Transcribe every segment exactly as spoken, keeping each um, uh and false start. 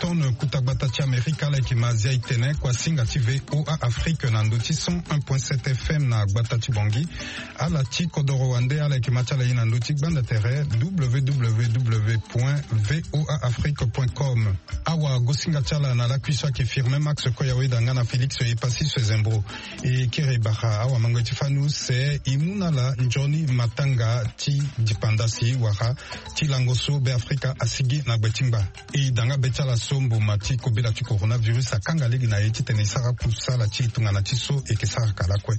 Kuta gbata ti Amerika ala yeke ma zia e tene kuasinga ti VOA Afrique na ndö ti cent un point sept F M na gbata ti Bangui. Ala ti kodoro wande ala yeke ma ti ala ye na ndö ti gbanda tere W W W point V O A Afrique point com. Awagosinga ti ala na lakui so ayeke Firmin Max Koyawe da nga na Félix Epassis Zembro. E kiri e bara awamangoi ti fani use e mu na ala nzoni matanga ti dipanda si wala ti lango so Beafrika asigi na gbe ti ngba. E da nga be ti ala so mboma ti kobela ti coronavirus akanga lege na e titene e sara kusala ti e tongana ti so e yeke sara ka lakue.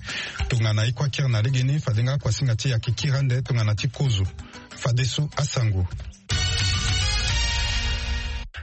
Tongana e kue akiri na legeni fade nga kuasinga ti e ayeke kiri ande tongana ti kozo. Fadeso asango.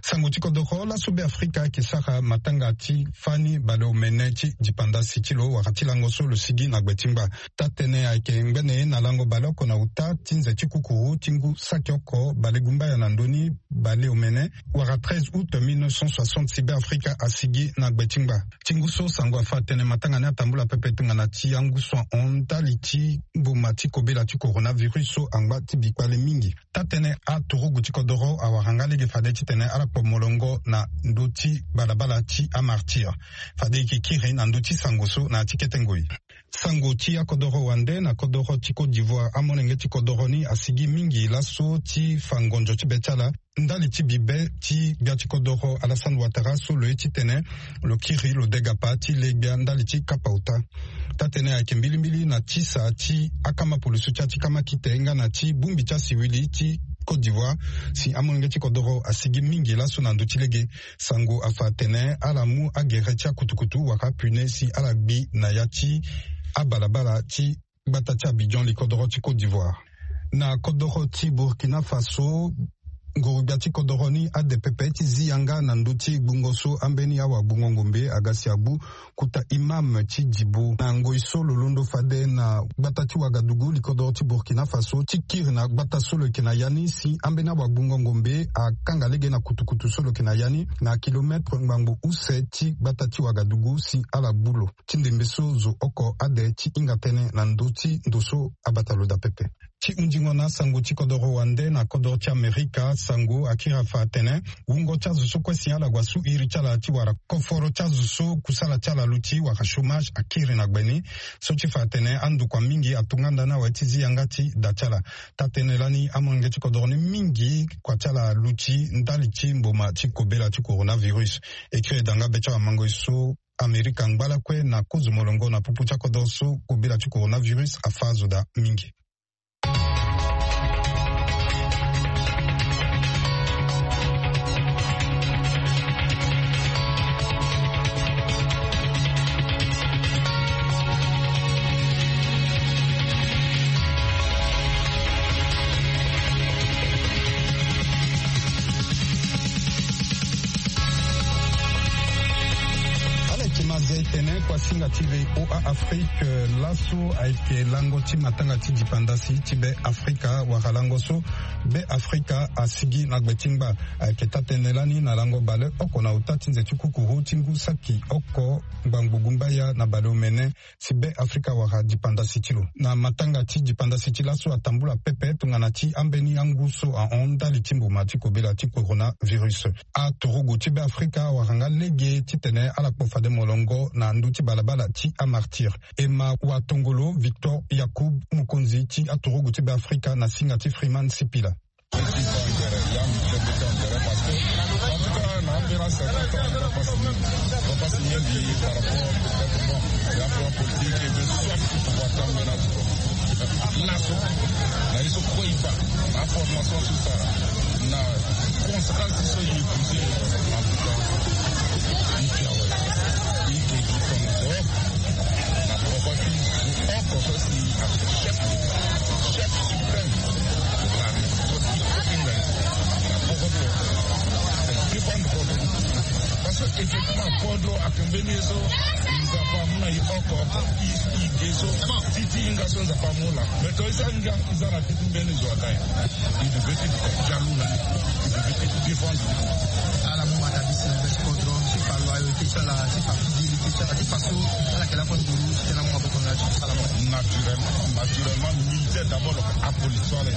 Sango ti kodoro laso Beafrika ayeke sara matanga ti fani baleomene ti dipanda si ti lo wala ti lango so lo sigi na gbe ti ngba. Taa-tënë ayeke ngbene na lango baleoko na uta ti nze ti kukuru ti ngu saki oko balegumbaya na ndö ni baleomene wala treize août mille neuf cent soixante si Beafrika asigi na gbe ti ngba. Ti ngu so sango afa tene matanga ni atambula pepe tongana ti angu so ahon ndali ti mboma ti kobela ti coronavirus so angba ti bikpale mingi. Taa-tënë aturugu ti kodoro awara nga lege fade titene ala kpo molongo na ndö ti balabala ti amartyr. Fade e yeke kiri na ndö ti sango so na ya ti kete ngoi. Sango ti akodoro wande na kodoro ti Côte d'Ivoire amolenge ti kodoro ni asigi mingi laso ti fa ngonzo ti be ti ala. Ndali ti bibe ti gbia ti kodoro Alassane Ouattara so lo ye titene lo kiri lo degapa ti le gbia ndali ti kapa ota. Taa-tënë ayeke mbilimbili na tisa ti akama pulusu ti ya ti kama kite nga na ti bongbi ti asiwili ti Côte d'Ivoire si amolenge ti kodoro asigi mingi laso na ndö ti lege. Sango afa atene ala mu agere ti akutukutu wala pune si ala gbi na ya ti abalabala ti gbata ti Abidjan li kodoro ti Côte d'Ivoire. Na kodoro ti Burkina Faso, nguru-gbia ti kodoro ni ade pepe ti zi yanga na ndö ti gbungo so ambeni awagbungo ngombe aga si agbu kuta imam ti Djibo na ngoi so lo londo fade na gbata ti Ouagadougou li kodoro ti Burkina Faso ti kiri na gbata so lo yeke na ya ni si ambeni awagbungo ngombe akanga lege na kutukutu so lo yeke na ya ni na kilometre ngbangbo use ti gbata ti Ouagadougou si ala gbu lo. Ti ndembe so zo oko ade ti hinga tënë na ndö ti ndo so abata lo daa pepe. Ti hundingo na asango ti kodoro wande na kodoro ti Amerika, sango akiri afa atene wungo ti azo so kue si ala gue asu iri ti ala ti wara koforo ti azo so kusala ti ala luti wala chômage akiri na gbe ni. So ti fa atene andokua mingi atonga ndani awe ti zi yanga ti da ti ala. Taa-tënë lani amolenge ti kodoro ni mingi kua ti ala luti ndali ti mboma ti kobela ti coronavirus. E kiri e da nga be ti awamango e so Amerika angba lakue na kozo molongo na popo ti akodoro so kobela ti coronavirus afa azo daa mingi. Ala yeke ma zia e tene kuasinga ti VOA Afrique laso ayeke lango ti matanga ti dipandasi ti Be Afrika wala lango so Be Afrika asigi na gbe ti ngba. Ayeke taa-tënë lani na lango baleoko na ota ti nze ti kukuru ti ngu saki oko ngbangbo gumbaya na baleomene si Be Afrika wara dipandasi ti lo. Na matanga ti dipandasi ti laso atambula pepe tongana ti ambeni angu so ahon ndali ti mboma ti kobela ti coronavirus. Aturugu ti Be Afrika awara nga lege titene ala kpo fade molongo na ndö ti balabala ti amartyr. E ma watongolo Victor Yacoub, mokonzi ti aturugu ti Be Afrika na singa ti Freeman Sipila. Laso na ye so kue e fa na aformation so e sara na conséquence so e épouser na Afrika. E ke awe, e ke gi tongaso na poko ti oko so si chef, chef suprême de la République so ti Afrika na poko ti défendre kodro. Parce que effectivement kodro ayeke mbeni ye so Nzapa amu na e oko oko ti e ge so ti ti hinga so Nzapa amu laa. Mais to e sara nga e za na ti mbeni zo aga e. E devait ti jalu na e. E devait ti défendre. Ala mu matabisi na be ti kodro ti fa loyauté ti ala ti fa fidélité ti ala ti fa so ala yeke lakue nduru ti tene amu maboko na ala ti kusala mo. Naturellement. Naturellement militaire d'abord, apolisi ala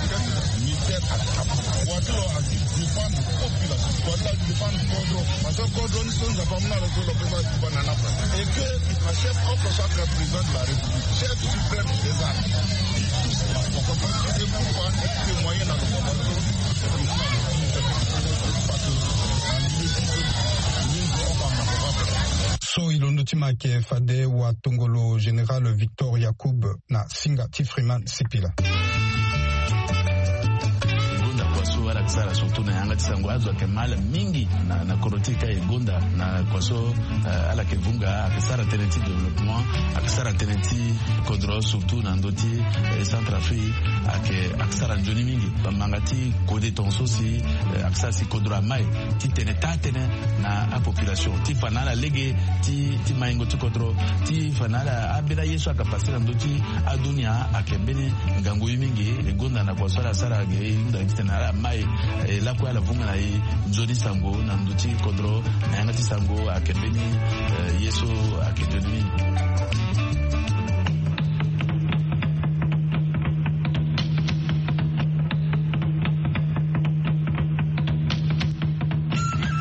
militaire, apolisi watilo asi défendre population, watilo asi défendre kodro. Parce que kodro ni so nzapa muna lo so lo pesa défendre na napa. Et que la chef of sa président de la république, chef suprême des armes, il touche la population. C'est pourquoi témoigner na lo population. So e londo ti ma ayeke fade watongolo général Victor Yacoub na singa ti Freeman Sipila. E gonda kua so ala yeke sara surtout na yanga ti sango azo ayeke mal mingi na, na kodro ti e ka e gonda na kua so, eh, ala yeke vunga ayeke sara tënë ti développement, ayeke sara tënë ti kodro surtout na ndö ti, eh, Centrafrique, ayeke, ayeke sara nzoni mingi. Bamanga ti kode tongaso si, eh, ayeke sara si kodro amai ti tene taa tënë na apopulation ti fa na ala lege ti, ti maingo ti kodro, ti fa na ala ambeni aye so ayeke pase na ndö ti adunia ayeke mbeni ngangu ye mingi. E gonda na kua so ala sara ge e hunda titene ala mai, eh, lakue ala vunga na e nzoni sango na ndö ti kodro na yanga ti sango ayeke mbeni, eh, ye so ayeke nzoni mingi.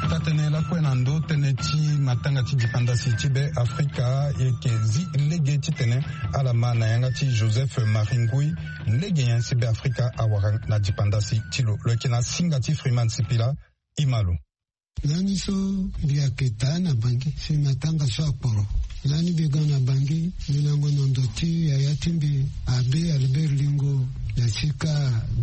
Taa-tënë lakue na ndö tënë ti matanga ti dipandasi ti Be Afrika e yeke zi lege titene ala ma na yanga ti Joseph Marie Ngui lege nyen si Be Afrika awara na dipandasi ti lo. Lo yeke na singa ti Freeman Sipila. E ma lo. Lani so mbi yeke taa na Bangui si matanga so akporo. Lani mbi ga na Bangui, mbi lango na ndo ti yaya ti mbi Abbé Albert Lingo na sika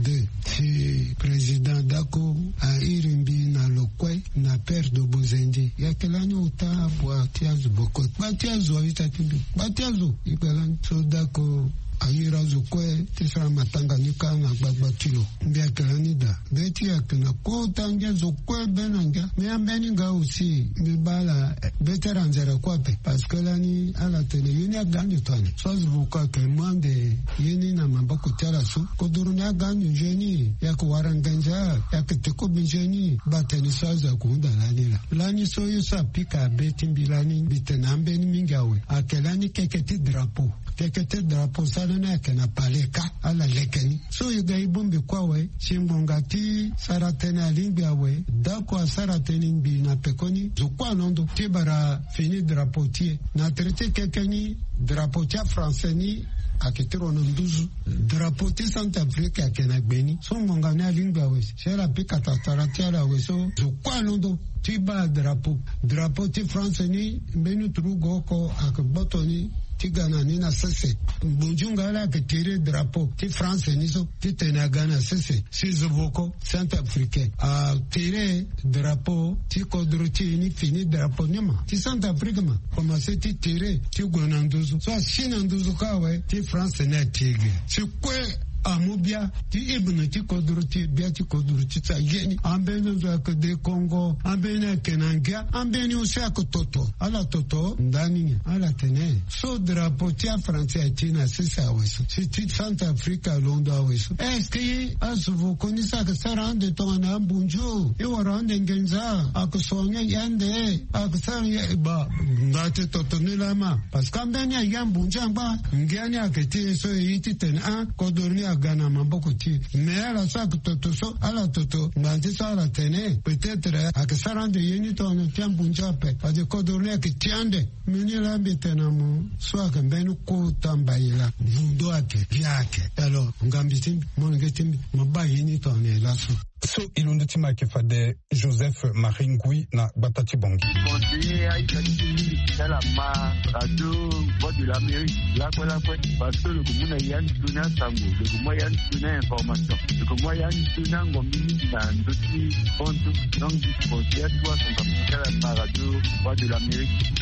deux, si président Dacko airi mbi na lo kue na Père de Bozendi. Yeke lani ota bua ti azo boko. Gba ti azo a-ita ti mbi. Gba ti azo. E kpe lani so Dacko airi azo kue ti sara matanga ni kâ na gbagba ti lo. Mbi yeke lani daa. Be ti e ayeke na kota ngia zo kue be na ngia. Mais ambeni nga aussi mbi baa ala, eh, be ti ala nzere kue ape. Parce que lani ala tene ye ni aga ande to ande. So azo boko ayeke mu ande ye ni na maboko ti ala so. Kodoro ni aga ande nzoni. E yeke wara nganza. E yeke te kobe nzoni. Baa tënë so azo ayeke hunda lani laa. Lani so ye so apika be ti mbi lani mbi tene ambeni mingi awe. Ayeke lani keke ti drapeau. Keke ti drapeau so ala ni ayeke na palais kâ, ala leke ni. So e ga e bongbi kue awe, si ngbonga ti sara tënë alingbi awe, Dacko asara tënë ngbii na pekoni, zo kue alondo ti bara fini drapeau ti e. Na tere ti keke ni, drapeau ti afrançais ni ayeke ti ro na nduzu. Drapeau ti Centrafrique ayeke na gbe ni. So ngbonga ni alingbi awe, si ala pika tatara ti ala awe so, zo kue alondo ti baa drapeau. Drapeau ti France ni, mbeni turugu oko ayeke gboto ni ti ga na ni na sese. Ngbonzunga ala ayeke tiré drapeau ti France ni so titene aga na sese. Si zo boko Centrafricain atiré drapeau ti kodro ti e ni fini drapeau ni ma ti Centrafrique ma. Komanse ti tiré ti gue na nduzu. So asi na nduzu kâ awe ti France ni ati ge. Si kue amu bia ti hymne ti kodro ti e, bia ti kodro ti e ti aye ni. Ambeni zo ayeke de Congo, ambeni ayeke na ngia, ambeni aussi ayeke toto. Ala toto ndani nyen? Ala tene so drapeau ti afrançais ati na sese awe so, si ti Centrafrique alondo awe so. Est-ce que azo voko ni so ayeke sara ande tongana ambunzu? E wara ande nginza, ayeke soigner e ande, ayeke sara e ba. Nda ti toto ni laa ma. Parce que ambeni aye ambunzu angba. Ngia ni ayeke ti e so e ye titene a kodoro ni aga na maboko ti e. Mais ala so ayeke toto so, ala toto ngbanga ti so ala tene peut-être ayeke sara ande ye ni tongana ti ambunzu ape. Fade kodoro ni ayeke ti ande. Mbeni laa mbi tene na mo so ayeke mbeni kota mbai laa. Vundo ayeke, bia ayeke. Alors ngambi ti mbi, molenge ti mbi, mo baa ye ni tongana e laso. So e londo ti ma ayeke fade Joseph Marie Ngui na gbata ti Bangui. Conseiller aita ti mingi ti ala ma radio Voix de l'Amérique lakue lakue. Parce que lo yeke mu na ya ni toni asango, lo yeke mu ya ni toni a-information, lo yeke mu ya ni toni angombi mingi na ndö ti hon so. Donc mbi conseiller atu asango ti ala ma radio Voix de l'Amérique.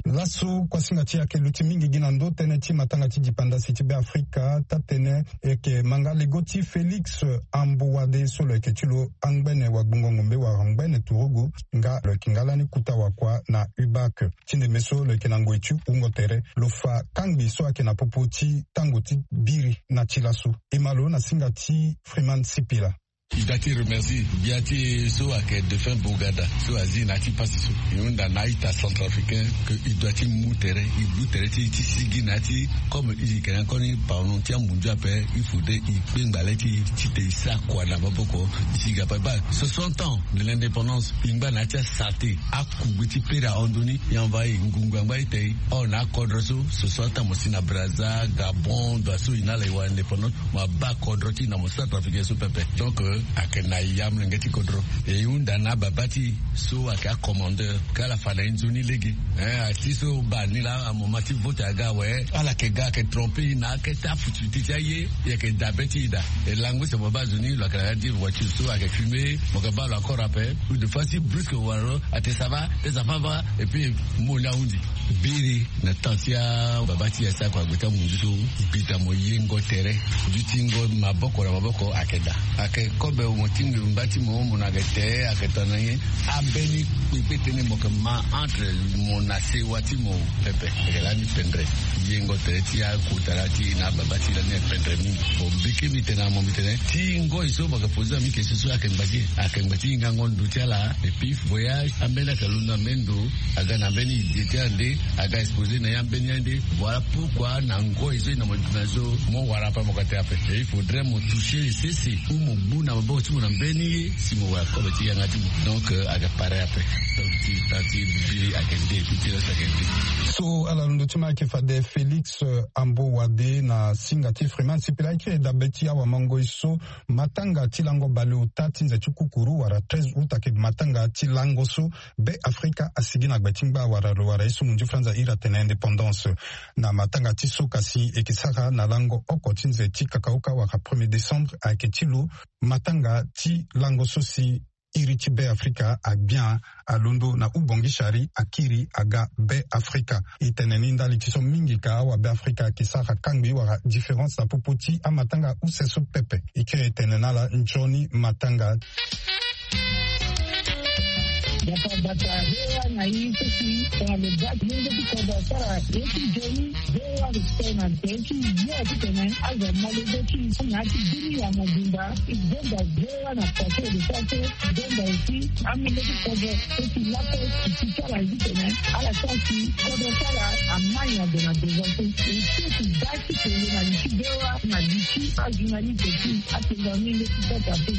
Laso kuasinga ti e ayeke luti mingi gi na ndö tënë ti matanga ti dipandasi ti Be Afrika. Taa-tënë e yeke ma nga lego ti Félix Ambouade so lo yeke ti lo angbene wagbongo ngombe wala ngbene turugu, nga lo yeke nga lani kota wakua na U B A C. Ti ndembe so lo yeke na ngoi ti wungo tere, lo fa kangbi so ayeke na popo ti tango ti biri na ti laso. E ma lo na singa ti Freeman Sipila. I doit ti remercier gbia ti e so ayeke défunt Bourgada, so azi na ya ti pasi so. E hunda na a-ita centrafricain que i doit ti mu tere, i mu tere ti e ti sigi na ya ti, comme i yeke na koni pardon ti amunzu ape, il faudrait i kpengba le ti e titene i sara kua na maboko. I sigi ape baa soixante ans de l'indépendance, i ngba na ya ti asarte, akugbe ti pere ahon ndoni, i envoyer ngungu angba ite. Or na akodro so, soixante ans mo si na Brazza, Gabon, ndo so i na ala i wara indépendance, mo abaa kodro ti e na mo centrafricain so pepe. Donc, euh, ayeke na ya molenge ti kodro. E hunda na ababa ti e so ayeke acommandeur, ka ala fa na e nzoni lege. Eh, asi so baa ni laa, amoma ti vote aga awe, ala yeke ga, ayeke tromper e na akete afutufutu ti aye, e yeke dabe ti e daa. E lango si mo baa zo ni lo yeke na ya ti voiture so ayeke fumer, mo yeke baa lo encore ape. Ou des fois si brusque wala lo ate ça va, tes enfants va, et puis mo ni ahundi. Biri na temps ti ababa ti e asara kua gbe ti amunzu so, mbi daa mo yengo tere. Dutingo maboko na maboko ayeke daa. Ayeke kobe mo ti ngbiri ngba ti mo, mo na yeke te, ayeke tongana nyen? Ambeni kpekpe tënë mo yeke ma entre mo na sewa ti mo pepe. Ayeke lani pendre. Yengo tere ti akotara ti e na ababa ti e lani ayeke pendre mingi. Bon, mbi kiri mbi tene na mo, mbi tene ti ngoi so mo yeke poser na mbi question so ayeke ngba ti e. Ayeke ngba ti hingango ndo ti ala. Et puis voyage ambeni ayeke londo na mbeni ndo, aga na mbeni idée ti ande, aga exposer na ya mbeni ande. Voilà pourquoi na ngoi so e na mo duti na so, mo wara ape mo ka te ape. Et il faudrait mo toucher sese ou mo gbu na maboko ti mo na mbeni ye si mo wara kobe ti yanga ti mo. Donc, euh, aga pare ape. Donc ti, ti biri ayeke nde, ti ti reste ayeke nde. So ala londo ti ma ayeke fade Félix, euh, Ambo Wade na singa ti Freeman Sipila. E kiri dabe ti awamangoi so matanga ti lango baleota ti nze ti kukuru wala treize août ayeke matanga ti lango so Be Afrika asigi na gbe ti ngba wala lo wara ye so munzu franza iri atene indépendance. Na matanga ti so kasi e yeke sara na lango oko ti nze ti kakaoka wala premier décembre ayeke ti lo matanga ti lango so si iri ti Be Afrika agbia alondo na hubongishari akiri aga Be Afrika. E tene ni ndali ti so mingi ka awa Be Afrika ayeke sara kangbi wala différence na popo ti amatanga use so pepe. E kiri e tene na ala nzoni matanga. Bata bata V O A na i so si tongana lo ga ti mungo ti kodro asara ye ti nzoni. V O A respect na tere ti ye titene azo amolenge ti i na ya ti bini ya mobimba. I zonza V O A na pase de sara so zonza aussi amolenge ti kodro so si laso i si ti ala ye titene ala sara si kodro ti ala amai na ndo na devant so. E so si ga ti kele na li ti V O A na li ti ajournaliste ti atenga mingi ti kota pe.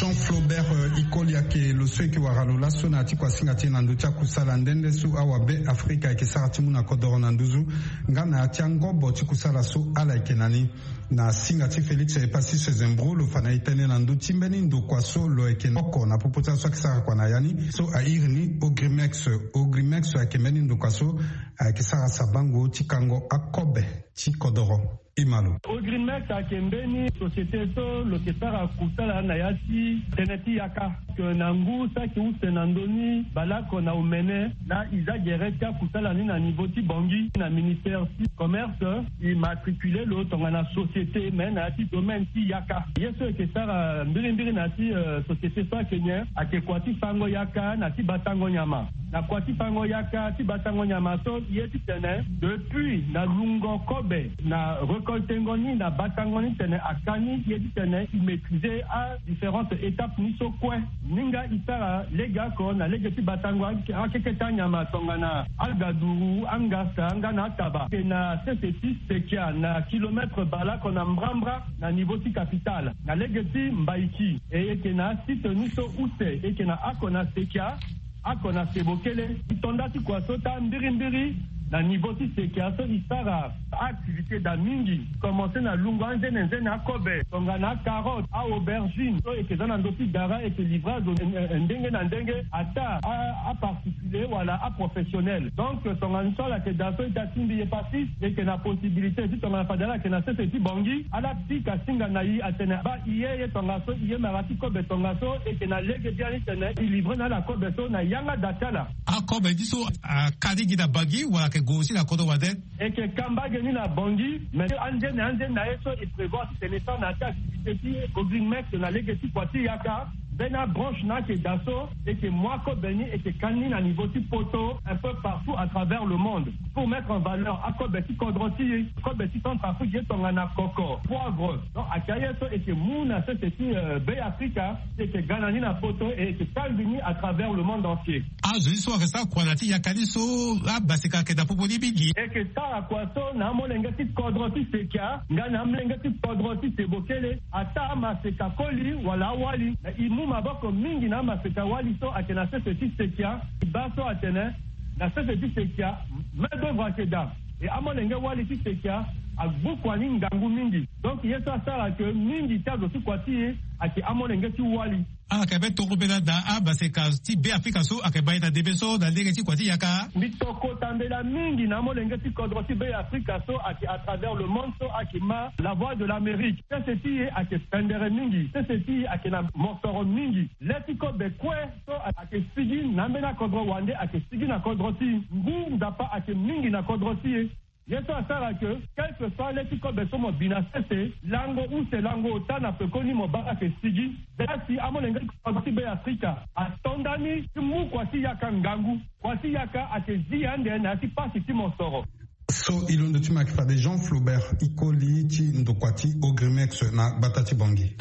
Jean Flaubert, euh, Ikoli ayeke lo so e yeke wara lo laso na ya ti kuasinga ti e na ndö ti akusala nde nde so awa Be Afrika ayeke sara ti mu na kodoro na nduzu nga na ya ti angobo ti kusala so ala yeke na ni. Na singa ti Félix Epassis Zembro lo fa na e tënë na ndö ti mbeni ndokua so lo yeke oko na popo ti ala so ayeke sara kua na ya ni so a iri ni Ogrimex. Ogrimex ayeke mbeni ndokua so ayeke sara sabango ti kango akobe ti kodoro. Imalo. Ogrimex ayeke mbeni société so lo yeke sara kusala na ya ti tënë ti yaka. Ke na ngu saki use na ndö ni baleoko na omene laa e za gere ti akusala ni na niveau ti Bangui na ministère ti commerce. E matricule lo tongana société me na ya ti domaine ti yaka. Ye so e yeke sara mbirimbiri na ya ti, euh, société so ayeke nyen? Ayeke kua ti fango yaka na ti batango nyama. Na kua ti fango yaka ti batango nyama so ye titene depuis na lungo kobe Be na récoltengo ni na batango ni tene aka ni ye ti tene e maîtriser a différentes étapes ni so kue. Ni nga e sara lege oko na lege ti batango akeke ti anyama tongana algaduru, angasta nga na ataba. Eke na sese ti sekia na kilomètre baleoko na mbrambra na niveau ti capitale na lege ti mbaiki. E eke na asite ni so use eke na oko na sekia, oko na sebo kele. E to nda ti kua so taa mbirimbiri na niveau ti sekia so e sara a-activité daa mingi. Commencer na lungo anzene nzene akobe tongana acarotte, a-aubergine so eke za na ndö ti gara eke livrer azo ndenge na ndenge, ataa aparticulier wala aprofessionnel. Donc tongana so ala yeke daa so e taa tingbi ye pasi, e yeke na possibilité ti tongana fade ala yeke na sese ti bongi ala pika singa na e atene baa e ye ye tongaso, e ye mara ti kobe tongaso. E yeke na lege biani tene e livrer na ala kobe so na yanga daa ti ala. Akobe ti so aka ni gi na bangi wala ayeke gue aussi na kodro wande? E yeke ka mbage ni na bangi, mais anzene anzene na ye so e prévoir ti tene e sara na ya ti activité ti Ogrimex na lege ti kua ti yaka. Mbeni abranche na ayeke daa so e yeke mu akobe ni e yeke ka ni na niveau ti poto, un peu partout à travers le monde, pour mettre en valeur akobe ti kodro ti e, kobe ti Centrafrique ye tongana koko, poivre. Donc ayeke aye so e yeke mu na sese ti Beafrika, e yeke ga na ni na poto e e yeke kangbi ni à travers le monde entier. Azo ni so ayeke sara kua na ya ti yaka ni so, abaseka ayeke na popo ni mingi. E yeke sara kua so na amolenge ti kodro ti sekia nga na amolenge ti kodro ti sebo kele. Ataa amaseka koli wala awali, na e mu maboko mingi na amaseka wali so ayeke na sese ti sekia. E baa so atene na sese ti sekia main d'œuvre ayeke daa, e amolenge wali ti sekia agbu kua ni ngangu mingi. Donc ye so asara ke mingi ti azo ti kua ti e ayeke amolenge ti wali. Ala yeke be toko mbela daa amaseka ti Beafrika so ayeke ma e na ndembe so na lege ti kua ti yaka. Mbi toko tambela mingi na amolenge ti kodro ti Beafrika so ayeke à travers le monde so ayeke ma La Voix de l'Amérique. Sese ti e ayeke pendere mingi, sese ti e ayeke na mosoro mingi. Le ti kobe kue so ayeke sigi na ambeni akodro wande ayeke sigi na kodro ti e. Ngu Nzapa ayeke mingi na kodro ti e. Ye so asara ke quelque soit le ti kobe so mo bi na sese, lango use lango ota na pekoni mo baa ayeke sigi. Zia si amolenge ti kodro ti Beafrika ato ndani ti mu kua ti yaka ngangu. Kua ti yaka ayeke zi ande na ya ti pasi ti mosoro. So e londo ti mo ayeke fade Jean Flaubert Ikoli ti ndokua ti Ogrimex na gbata ti Bangui.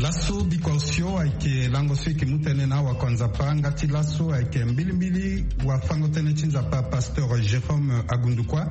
Laso bikua osio ayeke lango so e yeke mu tënë na awakua Nzapa nga ti laso ayeke mbilimbili wafango-tënë ti Nzapa pasteur Jérôme Agundukua.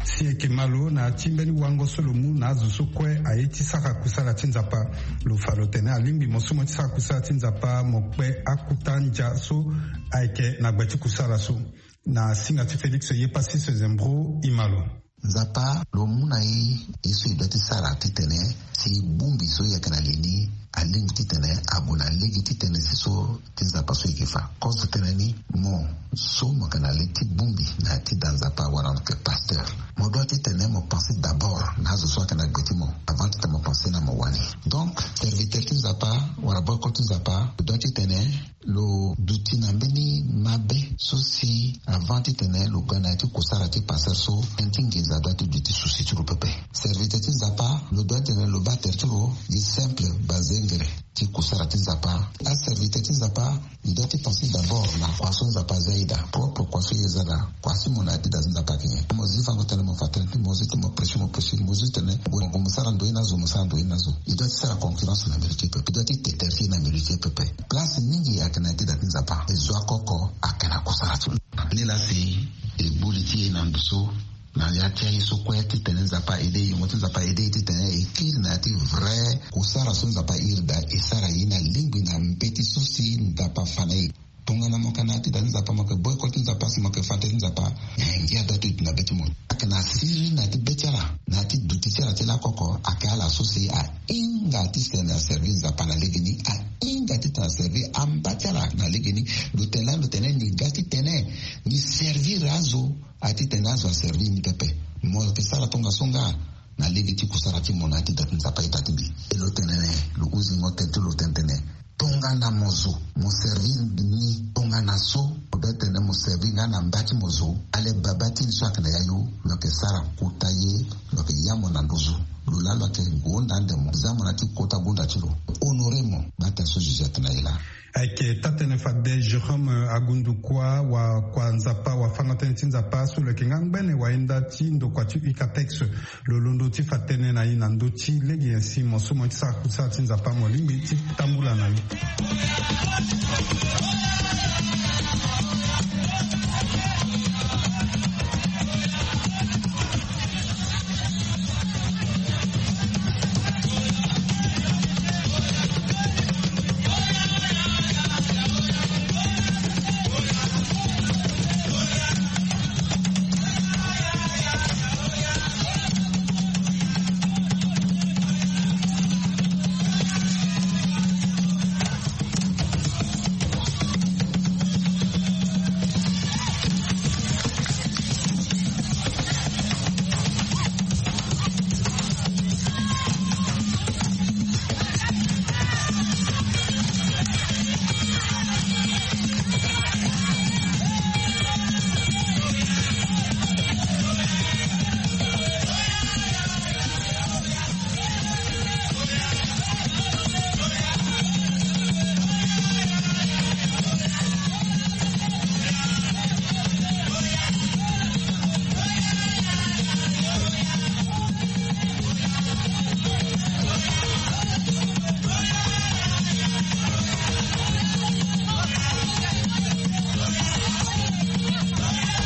Si e yeke ma lo na ya ti mbeni wango so lo mu na azo so kue aye ti sara kusala ti Nzapa. Lo fa lo tene alingbi mo so mo ye ti sara kusala ti Nzapa mo kpe akuta ndia so ayeke na gbe ti kusala so. Na singa ti Félix Yepassis Zembro, e ma lo. Nzapa lo mu na e ye so e doit ti sara titene si bongbi so e yeke na li ni alingbi titene ague na lege ti tënë si so ti Nzapa so e yeke fa. Kozo tene ni, mo so mo yeke na li ti bongbi na ya ti da Nzapa wala mo yeke pasteur, mo doit titene mo pense d'abord na azo so ayeke na gbe ti mo avant titene mo pense na mo wani. Donc serviteur ti Nzapa wala boycott ti Nzapa lo doit titene lo duti na mbeni mabe so si avant titene lo ga na ya ti kusara ti pasteur so, tënë ti nginza doit ti duti souci ti lo pepe. Serviteur ti Nzapa lo doit titene lo baa tere ti lo gi simple bazengere ti kusara ti Nzapa. Aserviteur ti Nzapa e doit ti pense d'abord na kua so Nzapa aza e daa, propre kua so e za daa, kua si mo na ya ti da ti Nzapa ayeke nyen. Mo zi fango tënë mo fa tënë ti mo zi ti mo prêcher mo prêcher, mo zi titene mo gue mo sara ndoye na azo mo sara ndoye na azo. E doit ti sara concurrence na mbeni ti e pepe, e doit ti te tere ti e na mbeni ti e pepe. Place mingi ayeke na ya ti da ti Nzapa, e zo oko oko ayeke na kusara ti lo. Nilaa si e gbu li ti e na ndo so na ya ti aye so kue titene Nzapa aide e, yongo ti Nzapa aide e titene e kiri na ya ti vrai kusara so Nzapa airi daa, e sara ye na lingbi na mbeti so si Nzapa afa na e. Tongana mo yeke na ya ti da ti Nzapa, mo yeke boycott ti Nzapa si mo yeke fa tere ti Nzapa, eh, ngia doit ti duti na be ti mo. Ayeke na siriri na ya ti be ti ala, na ya ti duti ti ala ti lakoko, ayeke ala so si ahinga titene aservi Nzapa na legeni, ahinga titene aservi amba ti ala na legeni. Lo tene lani lo tene ni ga titene ni servir azo, a titene azo aservi ni pepe. Mo yeke sara tongaso nga na lege ti kusara ti mo na ya ti da ti Nzapa e daa ti mbi. E lo tene ni, lo huzingo tene ti lo tene tene. Tonga Nga na mo zo mo servir ni tongana so mo be tene mo servir nga na mba ti mo zo. Ale baba ti ni so ayeke na yayu lo yeke sara kota ye. Lo yeke ya mo na nduzu. Lo laa lo yeke gonda ande mo za mo na ti kota gonda ti lo. Honore mo. Bata so jugette na ye laa. Ayeke taa-tënë fade Jérôme Agundukua wa kua Nzapa wa fana tënë ti Nzapa so lo yeke nga ngbene wayenda ti ndokua ti ucatex. Lo londo ti fa tënë na e na ndö ti lege nyen si mo so mo ye ti sara kusala ti Nzapa mo lingbi ti tambula na ni.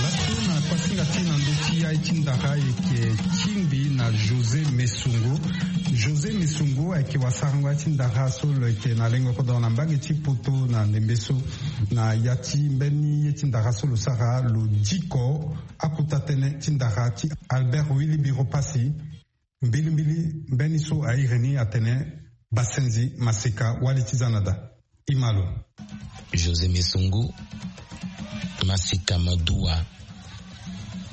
Laso na kuasinga ti na ndö ti ya ye ti ndara ayeke tingbi na José Mesongo. José Mesongo ayeke wasarango ya ti ndara so lo yeke na lengo kodoro na mbage ti poto na ndembe so. Na ya ti mbeni ye ti ndara so lo sara lo diko akota tënë ti ndara ti Albert Willy Biro Passy. Mbilimbili mbeni so airi ni atene Basenzi Masika wali ti za na da. Imalo. José Mesongo, Masika Maduwa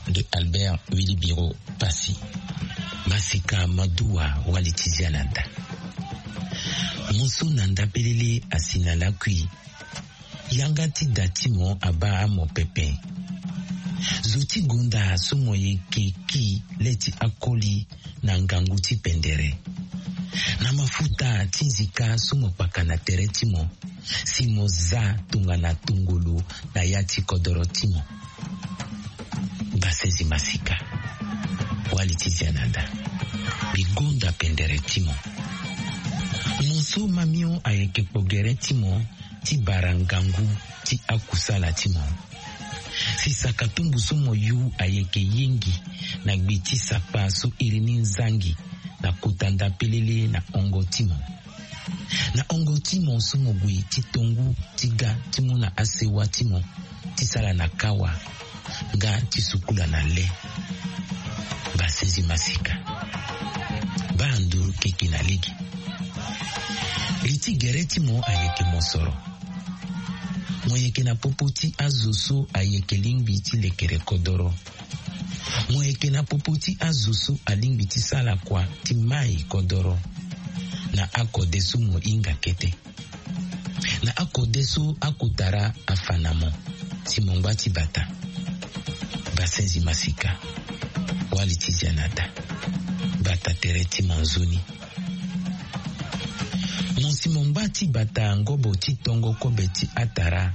de Albert Wilibiro Passy. Masika Maduwa wali ti zia na nda. Mo so na nda pelele asi na lakui. Yanga ti da ti mo abaa mo pepe. Zo ti gonda so mo yeke ki le ti akoli na ngangu ti pendere. Na mafuta ti nzika so mo kpaka na tere ti mo si mo za tongana tongolo na ya ti kodoro ti mo. Basenzi Masika wali ti zia na nda. Mbi gonda pendere ti mo. Mo so mamio ayeke kpo gere ti mo ti bara ngangu ti akusala ti mo. Si sakatumbu so mo yu ayeke yengi na gbe ti sapa so iri ni nzangi na kota nda pelele na hongo ti mo. Na hongo ti mo so mo gue ti tongu ti ga ti mu na asewa ti mo ti sala na kawa nga ti sukula na le. Basenzi Masika. Baa nduru keke na lege. Li ti gere ti mo ayeke mosoro. Mo yeke na popo ti azo so ayeke lingbi ti lekere kodoro. Mo yeke na popo ti azo so alingbi ti sala kua ti mai kodoro. Na akode so mo hinga kete. Na akode so akotara afa na mo si mo ngba ti bata. Basenzi Masika wali ti zia na da. Bata tere ti mo nzoni. Mo si mo ngba ti bata ngobo ti tongo kobe ti atara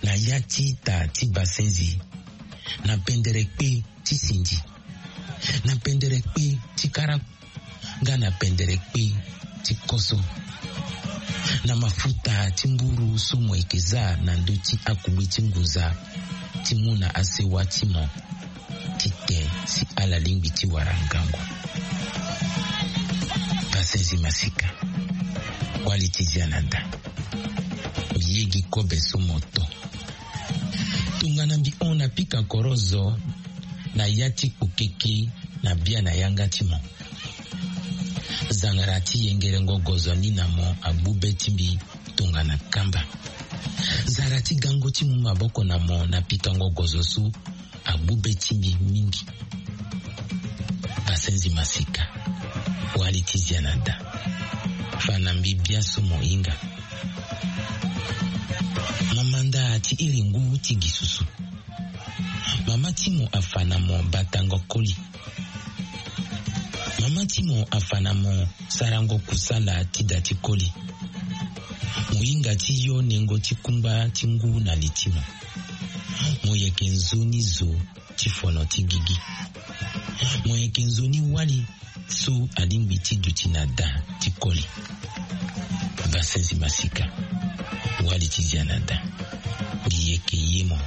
na ya ti ita ti basenzi. Na pendere kpe ti sindi. Na pendere kpe ti kara nga na pendere kpe ti koso. Na mafuta ti mburu so mo yeke za na ndö ti akugbe ti ngunza ti mu na asewa ti mo ti te si ala lingbi ti wara ngangu. Basenzi Masika wali ti zia na da. Mbi yegi kobe so mo to. Tongana mbi hon na pika korozo na ya ti kpokeke na bia na yanga ti mo. Zangara ti yengerengo gozo ni na mo agbu be ti mbi tongana kamba. Zara ti gango ti mu maboko na mo na pikango gozo so agbu be ti mbi mingi. Basenzi Masika wali ti zia na da. Fa na mbi bia so mo hinga. Mo manda ti iri ngu ti gi susu. Mama ti mo afa na mo batango koli. Mama ti mo afa na mo sarango kusala ti da ti koli. Mo hinga ti yo nengo ti kungba ti ngu na li ti mo. Mo yeke nzoni zo ti fono ti gigi. Mo yeke nzoni wali so alingbi ti duti na da ti koli. Basenzi masika, wali ti zia na da. Gi yeke ye mo.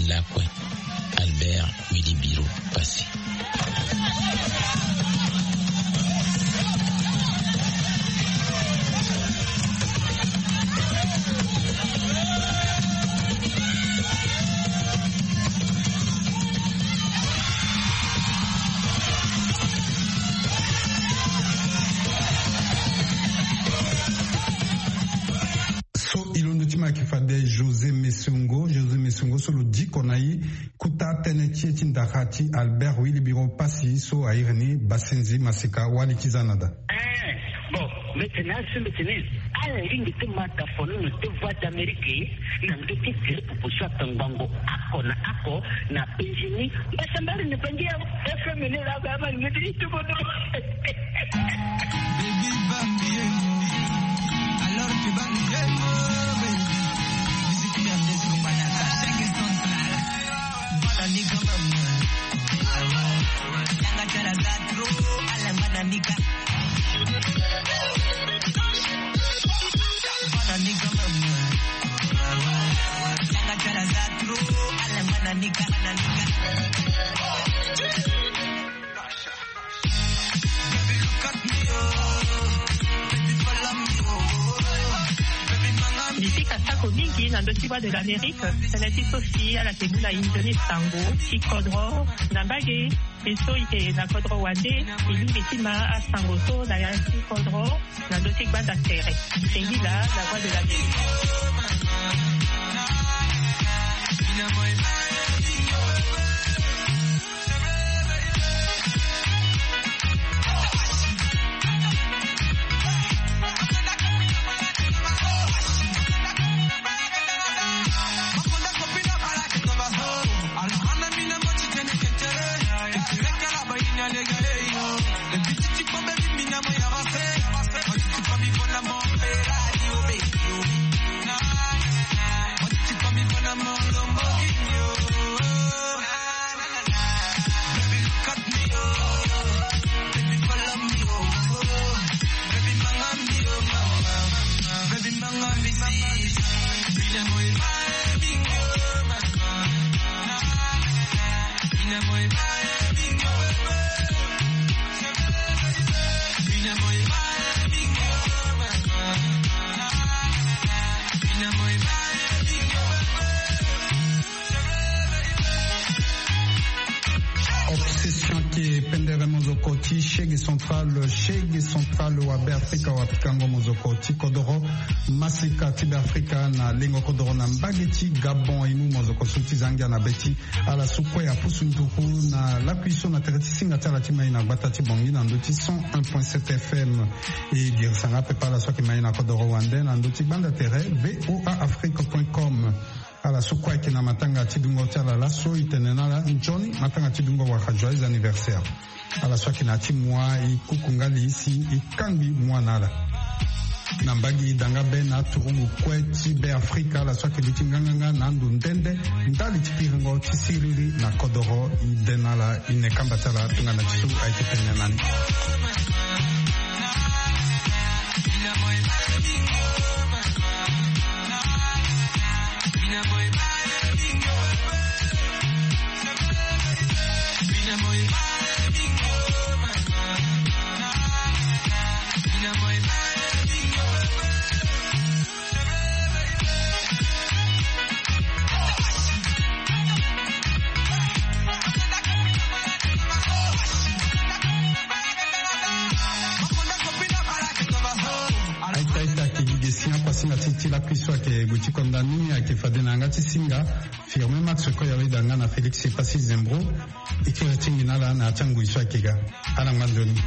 Lakue. Albert Wilibiro Passy. So e londo ti mo ayeke fade José Messiongo. José Messiongo so lo diko na e kota tënë ti e ti ndara ti Albert Wilibiro Passy so a iri ni Basenzi masika, wali ti za na da. Eh, bon, mbi tene asi, mbi tene ala lingbi ti mata fono na deux voix d'Amérique na ndö ti tele popo so atongbango oko na oko na penzi ni. Mbasambari ni bangi ya F M ni la ba ma ni ti tubo do. Baby Bambi, eh. Alors tu vas nous aimer, baby. Musique R D C, on va dans ça. Chaque instant, ça. Voilà, nigga, maman. Yanga, tchala, zatro. Ala, mana, nigga. Mana, nigga, maman. Yanga, tchala, zatro. Ala, mana, nigga, mana, nigga. Mbi sika sako mingi na ndö ti Voix de l'Amérique. Tënë ti so si ala yeke mu na e nzoni sango ti kodro na mbage. Mbi so e yeke na kodro wande, e lingbi ti ma asango so na ya ti kodro na ndö ti gbanda tere. Sengila, la Voix de l'Amérique. Obsession ke pendere mozoko ti Shege Central, Shege Central wa Beafrika wa pikango mozoko ti kodoro masika ti Beafrika na lengo kodoro na mbage ti Gabon. E mu mozoko so ti za ngia na be ti ala so kue apusu nduku na lakui so na tere ti singa ti ala ti mai na gbata ti Bangui na ndö ti cent un point sept F M. E girisa nga pepe ala so ayeke mai na kodoro wande na ndö ti gbanda tere V O A Afrique point com. Ala so kue ayeke na matanga ti dungo ti ala laso, e tene na ala nzoni matanga ti dungo wala joyeux anniversaire. Ala so ayeke na ya ti moi, e kuku nga li si e kangbi moi na ala. Na mbage e da nga be na aturugu kue ti Beafrika, ala so ayeke duti nganganga na ando nde nde ndali ti piringo ti siriri na kodoro, e de na ala, e ne kamba ti ala tongana ti so ayeke tene na ni. Aita, aita, ayeke gi ge si apasinga ti, ti lakui so ayeke gue ti konda ni, ayeke fade na yanga ti singa. Firmin Max Koya, weda nga na Félix Passy Zembro. E kiri ti ngi na ala na ya ti angui so ayeke ga. Ala ngba nzoni.